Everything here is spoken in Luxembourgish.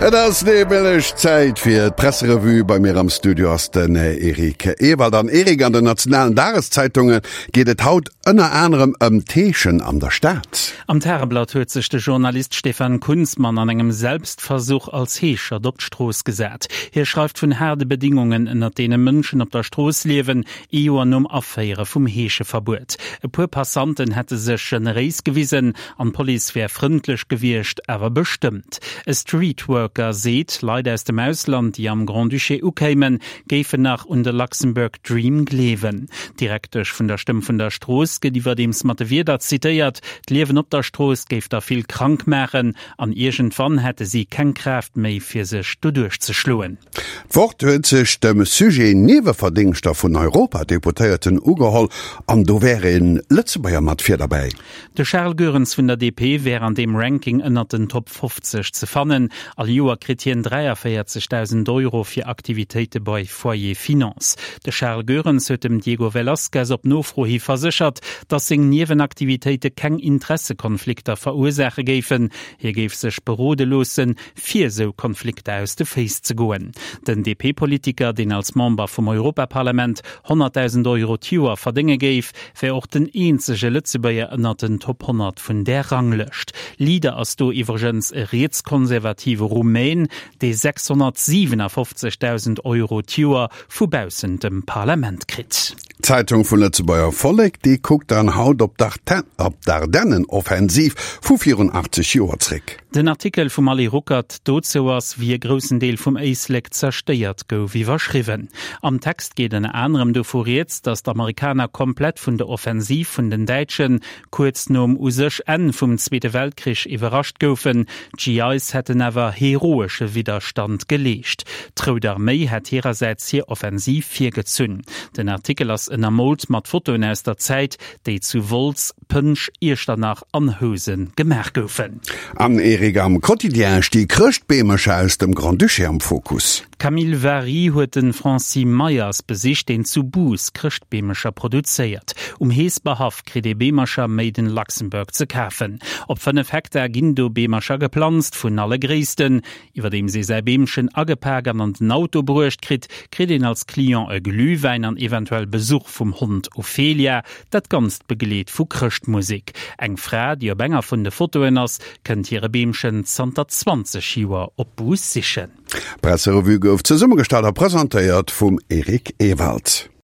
Et ass nämlech Zäit fir d'Presserevue. Bei mir am Studio ass den Eric Ewald. An Eric, an den nationalen Dageszeitunge geet et haut ënner anerem ëm d'Heeschen an der Stad. Am Tageblatt huet sech de Journalist Stefan Kunzmann an engem Selbstversuch als Heeschert op d'Strooss gesat. Hie schreift vun haarde Bedingungen, ënnert deene Mënschen op der Strooss liewen, ee Joer nom Aféiere vum Heescheverbuet. E puer Passanten hätte sech generéis gewisen an d'Police wär frëndlech gewiescht, awer bestëmmt. E Streetworker seet, Leit aus dem Ausland, déi am Grand-Duché ukéimen, géifen nach un de Luxembourg Dream gleewen. D'Direktesch vun der Stëmm vun der Strooss gëtt iwwerdeems mat de Wierder zitéiert, d'Liewen op der Strooss géif der vill krank maachen an iergendwann hätte si keng Kraaft méi fir sech doduerch ze schloen. D'Wort huet sech dem Sujet Nieweverdéngschter vun Europadeputéierten ugeholl an do wär e Lëtzebuerger mat vir derbäi. De Charles Goerens vun der DP wär an deem Ranking ënnert den Top 50 ze fannen. All Joer kritt hien 43.000 Euro fir Aktivitéite bei Foyer Finance. De Charles Goerens huet dem Diego Velazquez op Nofro hi verséchert, datt seng Niewenaktivitéite keng Interessekonflikter verursaache géifen. Hie géif sech berode loossen, fir esou Konflikter aus de Féiss ze goen. Den DP-Politiker, deen als Member vum Europaparlament 100.000 Euro d'Joer verdénge géif, wär och den eenzege Lëtzebuerger ënnert den Top 100 vun där Ranglëscht. Leader ass do iwwregens e rietskonservative Rumän, dee 657.000 Euro d'Joer vu baussent dem Parlament kritt. D'Zeitung vum Lëtzebuerger Vollek, déi kuckt dann haut op d'Ardennenoffensiv vu virun 80 Joer zréck. Den Artikel vum Ali Ruckert dozou ass, wéi e groussen Deel vum Éislek zerstéiert gouf, iwwerschriwwen. Am Text geet ënner anerem dovu rieds, datt d'Amerikaner komplett vun der Offensiv vun den Däitschen kuerz nom u sech Enn vum Zweete Weltkrich iwwerrascht goufen. D'GIs hätten awer heroesche Widderstand geleescht. D'Rout Arméi hätt hirersäits hir Offensiv virgezunn. Den Artikel ass ënnermoolt mat Fotoen aus der Zäit, déi zu Wolz, Pënsch, Iechternach an Housen gemaach goufen. An Eric, am Quotidien sti Chrëschtbeemercher aus dem Grand-Duché am Fokus. D'Camille Vary huet de Francis Meyers besicht, deen zu Bous Chrëschtbeemercher produzéiert. Um Heesberhaff kritt ee Beemercher made in Luxembourg ze kafen. Op 5 Hektar ginn do Beemercher geplanzt, vun alle Gréissten. Iwwerdeems ee säi Beemchen agepak an an den Auto bruecht kritt, kritt een als Client e Glühwäin an eventuell Besuch vum Hond Ophelia, dat Ganzt begleet vu Chrëschtmusek. Eng Fra, déi op enger vun de Fotoen ass, kënnt hire Beemchen zanter 20 Joer op Bous sichen. D'Presserevue gouf zesummegestallt a presentéiert vum Eric Ewald.